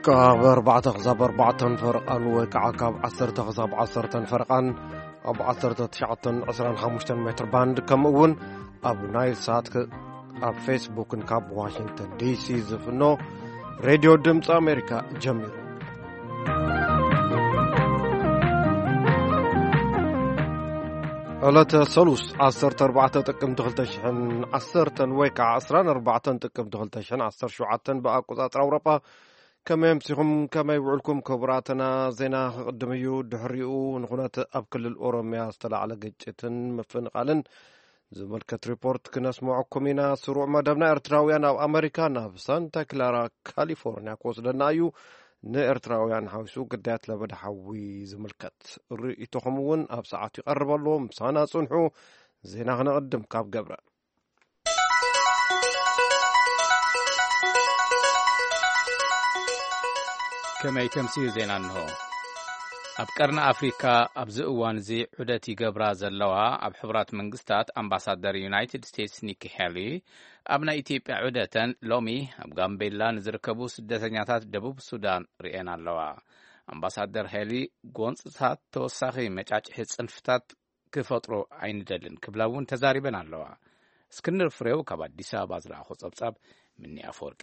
ካብ ኣርባዕተ ክሳብ ኣርባዕተን ፈረቓን ወይ ከዓ ካብ ዓሰርተ ክሳብ ዓሰርተን ፈረቓን ኣብ ዓሰርተ ትሽዓተን ዕስራን ሓሙሽተን ሜትር ባንድ፣ ከምኡ እውን ኣብ ናይል ሳት ክ-፣ ኣብ ፌስቡክን ካብ ዋሽንግተን ዲሲ ዝፍኖ ሬድዮ ድምፂ ኣሜሪካ ጀሚሩ። ዕለተ ሰሉስ ዓሰርተ ኣርባዕተ ጥቅምቲ ክልተ ሽሕን ዓሰርተን ወይ ከዓ ዕስራን ኣርባዕተን ጥቅምቲ ክልተ ሽሕን ዓሰርተ ሸውዓተን ብኣቆፃፅራ ኣውሮጳ። ከመይ ኣምሲኹም፣ ከመይ ውዕልኩም ክቡራትና? ዜና ክቕድም እዩ። ድሕሪኡ ንኹነት ኣብ ክልል ኦሮሚያ ዝተላዕለ ግጭትን ምፍንቓልን ዝምልከት ሪፖርት ክነስምዐኩም ኢና። ስሩዕ መደብና ኤርትራውያን ኣብ ኣመሪካ ናብ ሳንታ ክላራ ካሊፎርኒያ ክወስደና እዩ። ንኤርትራውያን ሓዊሱ ግዳያት ለበዳ ሓዊ ዝምልከት ርእይቶኹም እውን ኣብ ሰዓቱ ይቐርብ ኣሎ። ምሳና ጽንሑ። ዜና ክነቕድም ካብ ገብረ። ከመይ ተምስዩ ዜና እንሆ። ኣብ ቀርኒ ኣፍሪካ ኣብዚ እዋን እዚ ዑደት ይገብራ ዘለዋ ኣብ ሕቡራት መንግስታት ኣምባሳደር ዩናይትድ ስቴትስ ኒኪ ሄሊ ኣብ ናይ ኢትዮጵያ ዑደተን ሎሚ ኣብ ጋምቤላ ንዝርከቡ ስደተኛታት ደቡብ ሱዳን ርእየን ኣለዋ። ኣምባሳደር ሄሊ ጎንፅታት ተወሳኺ መጫጭሒ ፅንፍታት ክፈጥሩ ኣይንደልን ክብላ እውን ተዛሪበን ኣለዋ። እስክንድር ፍሬው ካብ ኣዲስ ኣበባ ዝለኣኾ ጸብጻብ ምኒ ኣፈወርቂ።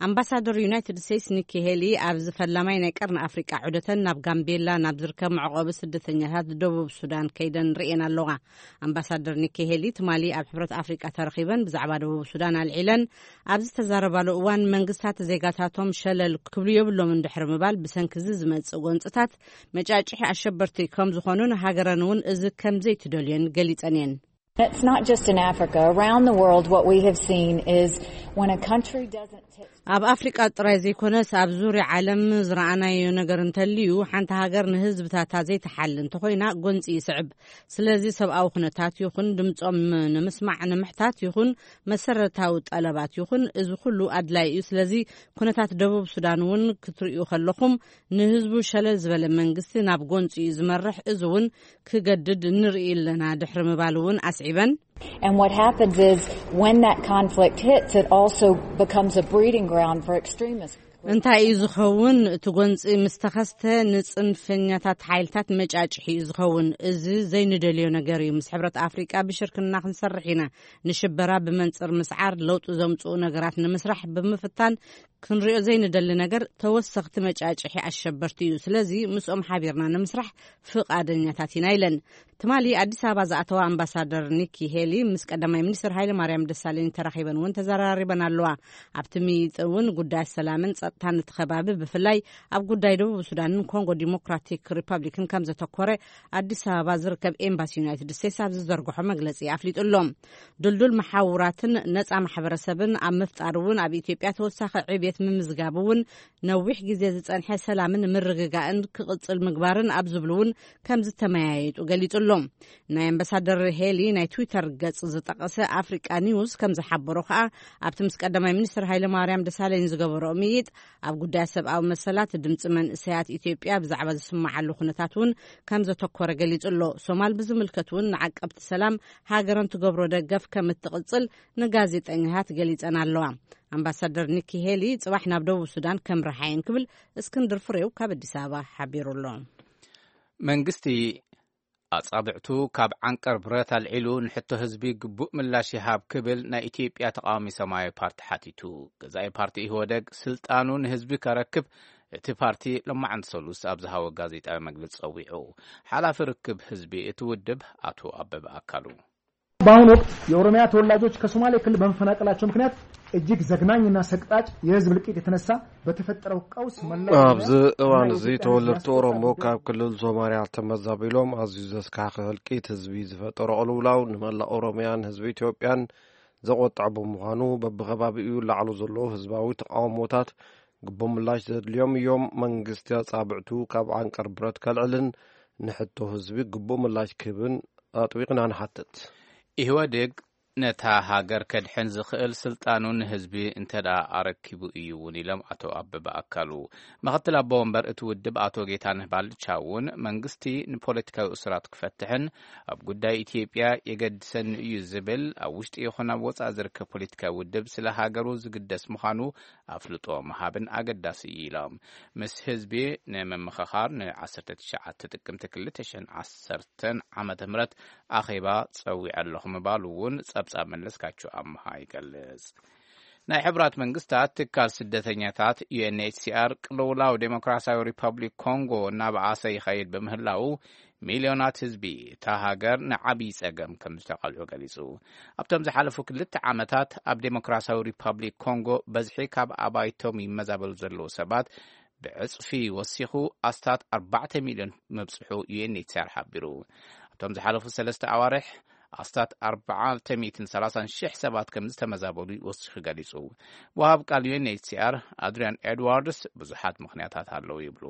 ኣምባሳደር ዩናይትድ ስቴትስ ኒኪ ሄሊ ኣብዚ ፈላማይ ናይ ቀርኒ ኣፍሪቃ ዑደተን ናብ ጋምቤላ ናብ ዝርከብ መዕቆቢ ስደተኛታት ደቡብ ሱዳን ከይደን ርእየን ኣለዋ። ኣምባሳደር ኒኪ ሄሊ ትማሊ ኣብ ሕብረት ኣፍሪቃ ተረኺበን ብዛዕባ ደቡብ ሱዳን ኣልዒለን ኣብ ዝተዛረባሉ እዋን መንግስታት ዜጋታቶም ሸለል ክብሉ የብሎም እንድሕሪ ምባል ብሰንኪ እዚ ዝመጽእ ጎንጽታት መጫጭሒ ኣሸበርቲ ከም ዝኾኑን ሃገረን እውን እዚ ከም ዘይትደልዮን ገሊጸን እየን። It's not just in Africa. Around the world, what we have seen is when a country doesn't take ኣብ ኣፍሪቃ ጥራይ ዘይኮነስ ኣብ ዙርያ ዓለም ዝረኣናዮ ነገር እንተልዩ፣ ሓንቲ ሃገር ንህዝብታታ ዘይትሓሊ እንተኾይና ጎንፂ ይስዕብ። ስለዚ ሰብኣዊ ኩነታት ይኹን ድምፆም ንምስማዕ ንምሕታት ይኹን መሰረታዊ ጠለባት ይኹን እዚ ኩሉ ኣድላይ እዩ። ስለዚ ኩነታት ደቡብ ሱዳን እውን ክትርእዩ ከለኹም ንህዝቡ ሸለል ዝበለ መንግስቲ ናብ ጎንፂ እዩ ዝመርሕ። እዚ እውን ክገድድ ንርኢ ኣለና ድሕሪ ምባል እውን ኣስዒበን። And what happens is when that conflict hits, it also becomes a breeding ground for extremists. እንታይ እዩ ዝኸውን? እቲ ጎንፂ ምስ ተኸስተ ንፅንፈኛታት ሓይልታት መጫጭሒ እዩ ዝኸውን። እዚ ዘይንደልዮ ነገር እዩ። ምስ ሕብረት ኣፍሪቃ ብሽርክና ክንሰርሕ ኢና። ንሽበራ ብመንፅር ምስዓር ለውጢ ዘምፅኡ ነገራት ንምስራሕ ብምፍታን ክንሪኦ ዘይንደሊ ነገር ተወሰኽቲ መጫጭሒ ኣሸበርቲ እዩ። ስለዚ ምስኦም ሓቢርና ንምስራሕ ፍቓደኛታት ኢና ኢለን። ትማሊ ኣዲስ ኣበባ ዝኣተዋ ኣምባሳደር ኒኪ ሄሊ ምስ ቀዳማይ ሚኒስትር ሃይለ ማርያም ደሳለኝ ተራኺበን እውን ተዘራሪበን ኣለዋ። ኣብቲ ምይይጥ እውን ጉዳያት ሰላምን ጸጥታን እቲ ከባቢ ብፍላይ ኣብ ጉዳይ ደቡብ ሱዳንን ኮንጎ ዲሞክራቲክ ሪፐብሊክን ከም ዘተኮረ ኣዲስ ኣበባ ዝርከብ ኤምባሲ ዩናይትድ ስቴትስ ኣብ ዝዘርግሖ መግለጺ ኣፍሊጡ ኣሎ። ድልዱል መሓውራትን ነጻ ማሕበረሰብን ኣብ ምፍጣር እውን ኣብ ኢትዮጵያ ተወሳኺ ዕብየት ምምዝጋብ እውን ነዊሕ ግዜ ዝጸንሐ ሰላምን ምርግጋእን ክቕጽል ምግባርን ኣብ ዝብሉ እውን ከም ዝተመያየጡ ገሊጹ ኣሎ። ናይ ኣምባሳደር ሄሊ ናይ ትዊተር ገጽ ዝጠቐሰ ኣፍሪቃ ኒውስ ከም ዝሓበሮ ከኣ ኣብቲ ምስ ቀዳማይ ሚኒስትር ሃይለ ማርያም ደሳለኝ ዝገበሮ ምይይጥ ኣብ ጉዳያት ሰብኣዊ መሰላት ድምፂ መንእሰያት ኢትዮጵያ ብዛዕባ ዝስማዓሉ ኩነታት እውን ከም ዘተኮረ ገሊጹ ኣሎ። ሶማል ብዝምልከት እውን ንዓቀብቲ ሰላም ሃገረን ትገብሮ ደገፍ ከም እትቕጽል ንጋዜጠኛታት ገሊጸን ኣለዋ። ኣምባሳደር ኒኪ ሄሊ ጽባሕ ናብ ደቡብ ሱዳን ከምርሓ እየን ክብል እስክንድር ፍሬው ካብ ኣዲስ ኣበባ ሓቢሩ ኣሎ። መንግስቲ ኣጻብዕቱ ካብ ዓንቀር ብረት ኣልዒሉ ንሕቶ ህዝቢ ግቡእ ምላሽ ይሃብ ክብል ናይ ኢትዮጵያ ተቃዋሚ ሰማያዊ ፓርቲ ሓቲቱ። ገዛኢ ፓርቲ ኢህወደግ ስልጣኑ ንህዝቢ ከረክብ እቲ ፓርቲ ሎማዓንቲ ሰሉስ ኣብ ዝሃቦ ጋዜጣዊ መግለጺ ጸዊዑ። ሓላፊ ርክብ ህዝቢ እቲ ውድብ ኣቶ ኣበበ ኣካሉ። በአሁኑ ወቅት የኦሮሚያ ተወላጆች ከሶማሌ ክልል በመፈናቀላቸው ምክንያት እጅግ ዘግናኝና ሰቅጣጭ የህዝብ እልቂት የተነሳ በተፈጠረው ቀውስ መላው ኦሮሚያ ኣብዚ እዋን እና እዚ የኢትዮጵያ ተወለድቲ ህዝብ ኦሮሞ ተጎድተዋል። ካብ ክልል ሶማሊያ ተመዛቢሎም ኣዝዩ ዘስካሕክሕ ህልቂት ህዝቢ ዝፈጠሮ ቅልውላው ንመላእ ኦሮሚያን ህዝቢ ኢትዮጵያን ዘቆጥዐ ብምዃኑ በብኸባቢኡ ላዕሉ ዘሎ ህዝባዊ ተቃውሞታት ግቡእ ምላሽ ዘድልዮም እዮም። መንግስቲ ኣጻብዕቱ ካብ ዓንቀር ብረት ከልዕልን ንሕቶ ህዝቢ ግቡእ ምላሽ ክህብን ኣጥቢቕና ንሓትት። ኢህወዴግ ነታ ሃገር ከድሕን ዝኽእል ስልጣኑ ንህዝቢ እንተ ደኣ ኣረኪቡ እዩ እውን ኢሎም ኣቶ ኣበበ ኣካሉ። ምኽትል ኣቦ ወንበር እቲ ውድብ ኣቶ ጌታነህ ባልቻ እውን መንግስቲ ንፖለቲካዊ እሱራት ክፈትሕን ኣብ ጉዳይ ኢትዮጵያ የገድሰኒ እዩ ዝብል ኣብ ውሽጢ ይኹን ኣብ ወጻኢ ዝርከብ ፖለቲካዊ ውድብ ስለ ሃገሩ ዝግደስ ምዃኑ ኣፍልጦ ምሃብን ኣገዳሲ እዩ ኢሎም። ምስ ህዝቢ ንምምኽኻር ን19 ጥቅምቲ 2010 ዓመተ ምህረት ኣኼባ ጸዊዐ ኣለኹ ምባሉ እውን ጸብጻብ መለስካቸው ኣምሃ ይገልጽ። ናይ ሕቡራት መንግስታት ትካል ስደተኛታት ዩ ኤን ኤች ሲ ኣር ቅልውላው ዴሞክራሲያዊ ሪፐብሊክ ኮንጎ እናበኣሰ ይኸይድ በምህላው ሚልዮናት ህዝቢ እታ ሃገር ንዓብዪ ጸገም ከም ዝተቓልዑ ገሊጹ። ኣብቶም ዝሓለፉ ክልተ ዓመታት ኣብ ዴሞክራሲያዊ ሪፐብሊክ ኮንጎ በዝሒ ካብ ኣባይቶም ይመዛበሉ ዘለዉ ሰባት ብዕጽፊ ወሲኹ ኣስታት ኣርባዕተ ሚልዮን ምብጽሑ ዩ ኤን ኤች ሲ ኣር ሓቢሩ። ኣብቶም ዝሓለፉ ሰለስተ ኣዋርሕ ኣስታት ኣርባዕተ ሚእትን ሰላሳን ሽሕ ሰባት ከም ዝተመዛበሉ ወሲኹ ገሊጹ። ወሃብ ቃል ዩ ኤን ኤች ሲ ኣር ኣድሪያን ኤድዋርድስ ብዙሓት ምኽንያታት ኣለዉ ይብሉ።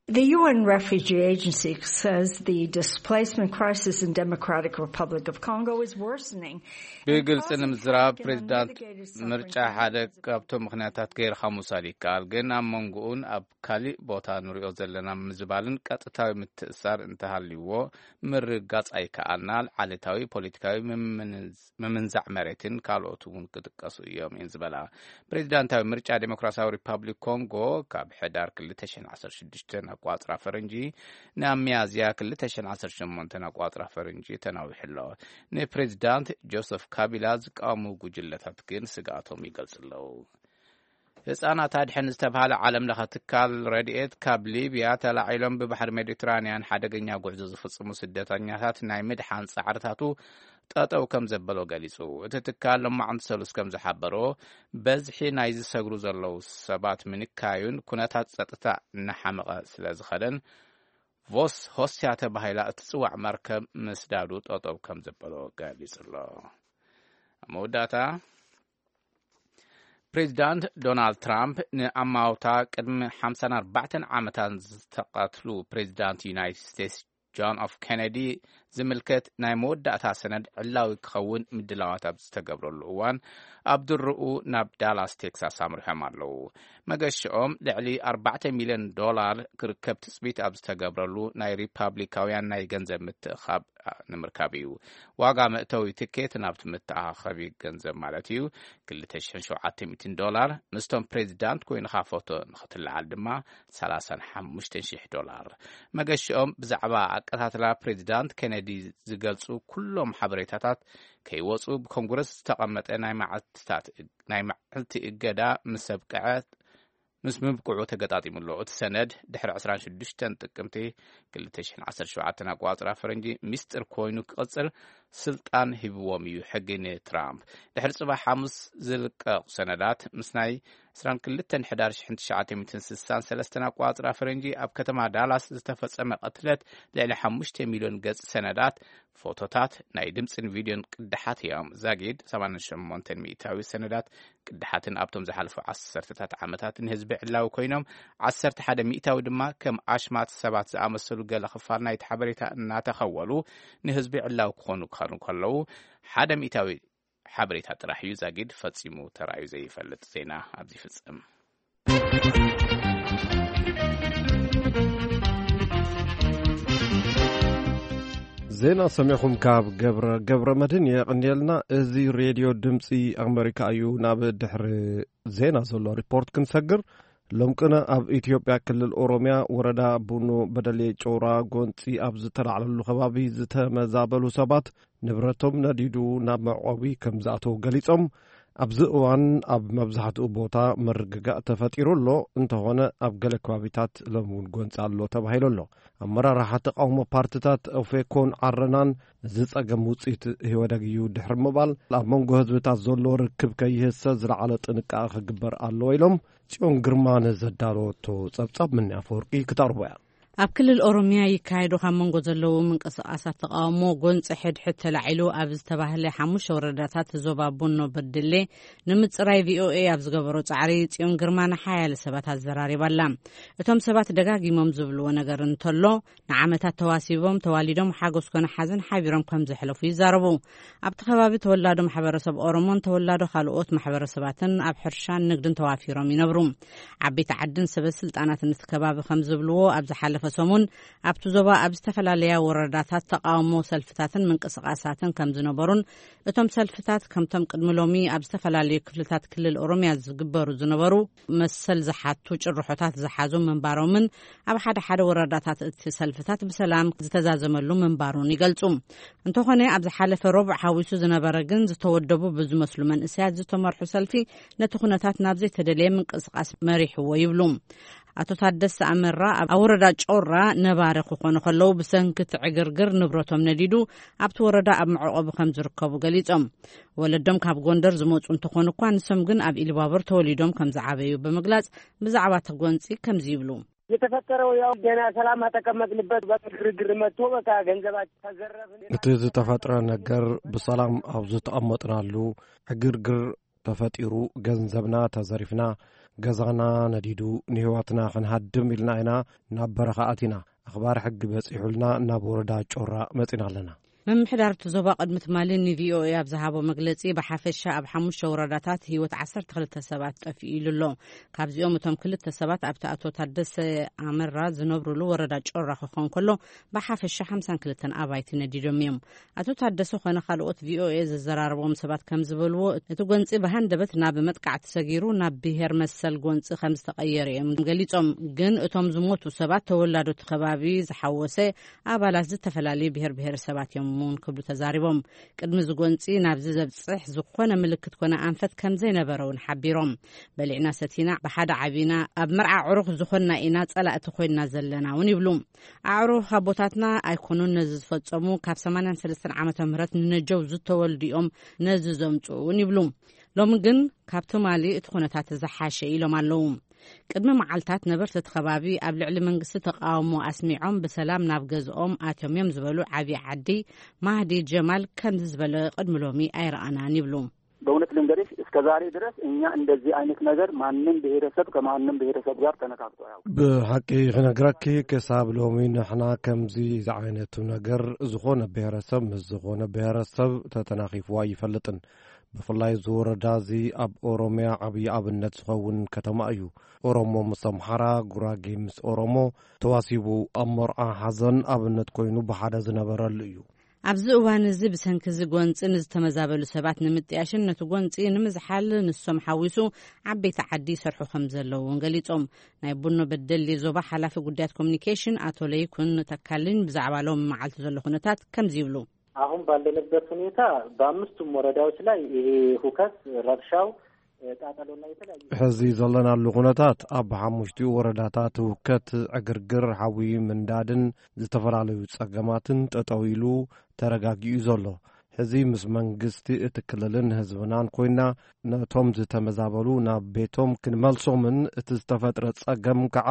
The U N Refugee Agency says the displacement crisis in Democratic Republic of Congo is worsening. ብግልፂ ንምዝራብ ፕሬዚዳንት ምርጫ ሓደ ካብቶም ምኽንያታት ገይርካ ምውሳድ ይከኣል፣ ግን ኣብ መንጎኡን ኣብ ካሊእ ቦታ ንሪኦ ዘለና ምዝባልን ቀጥታዊ ምትእሳር እንተሃልይዎ ምርጋፅ ኣይከኣልና። ዓሌታዊ ፖለቲካዊ ምምንዝ- ምምንዛዕ መሬትን ካልኦት እውን ክጥቀሱ እዮም እየን ዝበላ። ፕሬዚዳንታዊ ምርጫ ዴሞክራሲያዊ ሪፐብሊክ ኮንጎ ካብ ሕዳር ክልተ ሽሕን ዓሰርተ ሽዱሽተን ኣቋፅራ ፈረንጂ ናብ ሚያዝያ ክልተ ሽሕን ዓሰርተ ሸሞንተን ኣቋፅራ ፈረንጂ ተናዊሑ ኣሎ። ንፕሬዚዳንት ጆሰፍ ካቢላ ዝቃወሙ ጉጅለታት ግን ስግኣቶም ይገልጹ ኣለዉ። ህጻናት ኣድሕን ዝተባህለ ዓለም ለኸ ትካል ረድኤት ካብ ሊብያ ተላዒሎም ብባሕሪ ሜዲትራንያን ሓደገኛ ጉዕዞ ዝፍጽሙ ስደተኛታት ናይ ምድሓን ጻዕርታቱ ጠጠው ከም ዘበሎ ገሊጹ። እቲ ትካል ሎማዕንቲ ሰሉስ ከም ዝሓበሮ በዝሒ ናይ ዝሰግሩ ዘለዉ ሰባት ምንካዩን ኩነታት ጸጥታ እናሓመቐ ስለ ዝኸደን ቮስ ሆስያ ተባሂላ እትጽዋዕ መርከብ ምስዳዱ ጠጠው ከም ዘበሎ ገሊጹ ኣሎ። ኣብ መወዳእታ ፕሬዚዳንት ዶናልድ ትራምፕ ንኣማውታ ቅድሚ ሓምሳን ኣርባዕተን ዓመታት ዝተቐትሉ ፕሬዚዳንት ዩናይትድ ስቴትስ ጆን ኤፍ ኬነዲ ዝምልከት ናይ መወዳእታ ሰነድ ዕላዊ ክኸውን ምድላዋት ኣብ ዝተገብረሉ እዋን ኣብ ድርኡ ናብ ዳላስ ቴክሳስ ኣምሪሖም ኣለዉ። መገሽኦም ልዕሊ ኣርባዕተ ሚልዮን ዶላር ክርከብ ትጽቢት ኣብ ዝተገብረሉ ናይ ሪፓብሊካውያን ናይ ገንዘብ ምትእኻብ ንምርካብ እዩ። ዋጋ መእተዊ ትኬት ናብቲ መተኣኻኸቢ ገንዘብ ማለት እዩ ክልተ ሽሕን ሸውዓተ ሚእትን ዶላር፣ ምስቶም ፕሬዚዳንት ኮይንኻ ፎቶ ንኽትለዓል ድማ ሰላሳን ሓሙሽተን ሽሕ ዶላር። መገሽኦም ብዛዕባ ኣቀታትላ ፕሬዚዳንት ኬነዲ ዝገልጹ ኩሎም ሓበሬታታት ከይወጹ ብኮንግረስ ዝተቐመጠ ናይ መዓልትታት ናይ መዓልቲ እገዳ ምስ ኣብቅዐ ምስ ምብቅዑ ተገጣጢሙ ኣሎ። እቲ ሰነድ ድሕሪ ዕስራን ሽዱሽተን ጥቅምቲ ክልተ ሽሕን ዓሰርተ ሸውዓተን ኣቋጽራ ፈረንጂ ሚስጥር ኮይኑ ክቕጽል ስልጣን ሂብዎም እዩ ሕጊ ንትራምፕ። ድሕሪ ጽባሕ ሓሙስ ዝልቀቑ ሰነዳት ምስ ናይ ዕስራን ክልተን ሕዳር ሽሕን ትሽዓተ ሚእትን ስሳን ሰለስተን ኣቋጽራ ፈረንጂ ኣብ ከተማ ዳላስ ዝተፈጸመ ቅትለት ልዕሊ ሓሙሽተ ሚልዮን ገጽ ሰነዳት፣ ፎቶታት፣ ናይ ድምጽን ቪድዮን ቅድሓት እዮም። ዛጊድ ሰማንያን ሸሞንተን ሚእታዊ ሰነዳት ቅድሓትን ኣብቶም ዝሓለፉ ዓሰርተታት ዓመታት ንህዝቢ ዕላዊ ኮይኖም፣ ዓሰርተ ሓደ ሚእታዊ ድማ ከም ኣሽማት ሰባት ዝኣመሰሉ ገለ ክፋል ናይቲ ሓበሬታ እናተኸወሉ ንህዝቢ ዕላዊ ክኾኑ ክኾኑ ከለዉ፣ ሓደ ሚእታዊ ሓበሬታ ጥራሕ እዩ ዛጊድ ፈጺሙ ተራእዩ ዘይፈልጥ። ዜና ኣብዚ ይፍጽም። ዜና ሰሚዕኹም ካብ ገብረ፣ ገብረ መድህን የቐንየልና። እዚ ሬድዮ ድምፂ ኣመሪካ እዩ። ናብ ድሕሪ ዜና ዘሎ ሪፖርት ክንሰግር፣ ሎም ቅነ ኣብ ኢትዮጵያ ክልል ኦሮሚያ ወረዳ ቡኖ በደሌ ጮራ ጎንፂ ኣብ ዝተላዕለሉ ከባቢ ዝተመዛበሉ ሰባት ንብረቶም ነዲዱ ናብ መዕቆቢ ከም ዝኣተዉ ገሊጾም፣ ኣብዚ እዋን ኣብ መብዛሕትኡ ቦታ ምርግጋእ ተፈጢሩ ኣሎ፣ እንተኾነ ኣብ ገለ ከባቢታት ሎም እውን ጎንፂ ኣሎ ተባሂሉ ኣሎ። ኣመራርሓ ተቃውሞ ፓርትታት ኦፌኮን ዓረናን እዚ ጸገም ውጽኢት ህወደግ እዩ ድሕሪ ምባል፣ ኣብ መንጎ ህዝብታት ዘሎ ርክብ ከይህሰ ዝለዓለ ጥንቃቐ ክግበር ኣለዎ ኢሎም። ጽዮን ግርማ ንዘዳለወቶ ጸብጻብ ምንያ ኣፈወርቂ ክተቕርቦ እያ። ኣብ ክልል ኦሮሚያ ይካየዱ ካብ መንጎ ዘለዉ ምንቅስቃሳት ተቃውሞ ጎንፂ ሕድሕድ ተላዒሉ ኣብ ዝተባህለ ሓሙሽተ ወረዳታት ዞባ ቡኖ በደሌ ንምፅራይ ቪኦኤ ኣብ ዝገበሮ ፃዕሪ ፅዮን ግርማ ንሓያለ ሰባት ኣዘራሪባ ኣላ። እቶም ሰባት ደጋጊሞም ዝብልዎ ነገር እንተሎ፣ ንዓመታት ተዋሲቦም ተዋሊዶም ሓጎስ ኮነ ሓዘን ሓቢሮም ከም ዘሕለፉ ይዛረቡ። ኣብቲ ከባቢ ተወላዶ ማሕበረሰብ ኦሮሞን ተወላዶ ካልኦት ማሕበረሰባትን ኣብ ሕርሻን ንግድን ተዋፊሮም ይነብሩ። ዓበይቲ ዓድን ሰበ ስልጣናትን እቲ ከባቢ ከም ዝብልዎ፣ ኣብ ዝሓለፈ ሰሙን ኣብቲ ዞባ ኣብ ዝተፈላለያ ወረዳታት ተቃውሞ ሰልፍታትን ምንቅስቃሳትን ከም ዝነበሩን፣ እቶም ሰልፍታት ከምቶም ቅድሚ ሎሚ ኣብ ዝተፈላለዩ ክፍልታት ክልል ኦሮሚያ ዝግበሩ ዝነበሩ መሰል ዝሓቱ ጭርሖታት ዝሓዙ ምንባሮምን፣ ኣብ ሓደ ሓደ ወረዳታት እቲ ሰልፍታት ብሰላም ዝተዛዘመሉ ምንባሩን ይገልጹ። እንተኾነ፣ ኣብ ዝሓለፈ ረቡዕ ሓዊሱ ዝነበረ ግን ዝተወደቡ ብዝመስሉ መንእሰያት ዝተመርሑ ሰልፊ ነቲ ኩነታት ናብ ዘይተደለየ ምንቅስቃስ መሪሕዎ ይብሉ። ኣቶ ታደሰ ኣመራ ኣብ ወረዳ ጮራ ነባሪ ክኾኑ ከለዉ፣ ብሰንኪ እቲ ዕግርግር ንብረቶም ነዲዱ ኣብቲ ወረዳ ኣብ መዕቆቢ ከም ዝርከቡ ገሊጾም። ወለዶም ካብ ጎንደር ዝመጹ እንተኾኑ እኳ፣ ንሶም ግን ኣብ ኢሉባቦር ተወሊዶም ከም ዝዓበዩ ብምግላጽ፣ ብዛዕባ እቲ ጎንጺ ከምዚ ይብሉ። የተፈጠረው ያው ገና ሰላም አተቀመጥንበት በግርግር መጥቶ በቃ ገንዘባችን ተዘረፍን። እቲ ዝተፈጥረ ነገር ብሰላም ኣብ ዝተቐመጥናሉ ዕግርግር ተፈጢሩ፣ ገንዘብና ተዘሪፍና፣ ገዛና ነዲዱ፣ ንህይወትና ክንሃድም ኢልና ኢና ናብ በረኻ ኣቲና። ኣኽባር ሕጊ በጺሑልና ናብ ወረዳ ጮራ መጺና ኣለና። ምምሕዳር እቲ ዞባ ቅድሚ ትማሊ ንቪኦኤ ኣብ ዝሃቦ መግለጺ፣ ብሓፈሻ ኣብ ሓሙሽተ ወረዳታት ህይወት ዓሰርተ ክልተ ሰባት ጠፊኡ ኢሉ ኣሎ። ካብዚኦም እቶም ክልተ ሰባት ኣብቲ ኣቶ ታደሰ ኣመራ ዝነብሩሉ ወረዳ ጮራ ክኾን ከሎ፣ ብሓፈሻ ሓምሳን ክልተን ኣባይቲ ነዲዶም እዮም። ኣቶ ታደሰ ኮነ ካልኦት ቪኦኤ ዘዘራረቦም ሰባት ከም ዝበልዎ፣ እቲ ጎንጺ ብሃንደበት ናብ መጥቃዕቲ ሰጊሩ ናብ ብሄር መሰል ጎንጺ ከም ዝተቐየረ እዮም ገሊጾም። ግን እቶም ዝሞቱ ሰባት ተወላዶ እቲ ከባቢ ዝሓወሰ ኣባላት ዝተፈላለዩ ብሄር ብሄረሰባት እዮም እውን ክብሉ ተዛሪቦም። ቅድሚ እዚ ጎንጺ ናብዚ ዘብጽሕ ዝኾነ ምልክት ኮነ ኣንፈት ከም ዘይነበረ እውን ሓቢሮም። በሊዕና ሰቲና ብሓደ ዓቢና ኣብ መርዓ ዕሩኽ ዝኾንና ኢና ጸላእቲ ኮይንና ዘለና እውን ይብሉ። ኣዕሩኽ ኣቦታትና ኣይኮኑን ነዚ ዝፈጸሙ፣ ካብ ሰማንያን ሰለስተን ዓመተ ምህረት ንነጀው ዝተወልዱ እዮም ነዚ ዘምጽኡ እውን ይብሉ። ሎሚ ግን ካብ ትማሊ እቲ ኩነታት ዝሓሸ ኢሎም ኣለዉ። ቅድሚ መዓልታት ነበርቲ እቲ ከባቢ ኣብ ልዕሊ መንግስቲ ተቃውሞ ኣስሚዖም ብሰላም ናብ ገዝኦም ኣትዮም እዮም ዝበሉ ዓብዪ ዓዲ ማህዲ ጀማል ከምዚ ዝበለ ቅድሚ ሎሚ ኣይረኣናን ይብሉ። በእውነት ልንገርሽ፣ እስከ ዛሬ ድረስ እኛ እንደዚህ አይነት ነገር ማንም ብሔረሰብ ከማንም ብሔረሰብ ጋር ተነካክቶ አያውቅም። ብሓቂ ክነግረኪ፣ ክሳብ ሎሚ ንሕና ከምዚ ዝዓይነቱ ነገር ዝኾነ ብሔረሰብ ምስ ዝኾነ ብሔረሰብ ተተናኺፉ ኣይፈልጥን። ብፍላይ እዚ ወረዳ እዚ ኣብ ኦሮሚያ ዓብዪ ኣብነት ዝኸውን ከተማ እዩ። ኦሮሞ ምስ ኣምሓራ፣ ጉራጌ ምስ ኦሮሞ ተዋሲቡ ኣብ መርዓ ሓዘን ኣብነት ኮይኑ ብሓደ ዝነበረሉ እዩ። ኣብዚ እዋን እዚ ብሰንኪ እዚ ጎንጺ ንዝተመዛበሉ ሰባት ንምጥያሽን ነቲ ጎንጺ ንምዝሓል ንሶም ሓዊሱ ዓበይቲ ዓዲ ይሰርሑ ከም ዘለዉ እውን ገሊጾም። ናይ ቡኖ በደሌ ዞባ ሓላፊ ጉዳያት ኮሚኒኬሽን ኣቶ ለይኩን ተካልኝ ብዛዕባ ሎሚ መዓልቲ ዘሎ ኩነታት ከምዚ ይብሉ። አሁን ባለንበት ሁኔታ በአምስቱም ወረዳዎች ላይ ይሄ ሁከት፣ ረብሻው፣ ቃጠሎና የተለያዩ ሕዚ ዘለናሉ ኩነታት ኣብ ሓሙሽቲኡ ወረዳታት ህውከት፣ ዕግርግር፣ ሓዊ ምንዳድን ዝተፈላለዩ ጸገማትን ጠጠው ኢሉ ተረጋጊኡ ዘሎ። ሕዚ ምስ መንግስቲ እቲ ክልልን ህዝብናን ኮይና ነቶም ዝተመዛበሉ ናብ ቤቶም ክንመልሶምን እቲ ዝተፈጥረ ጸገም ከዓ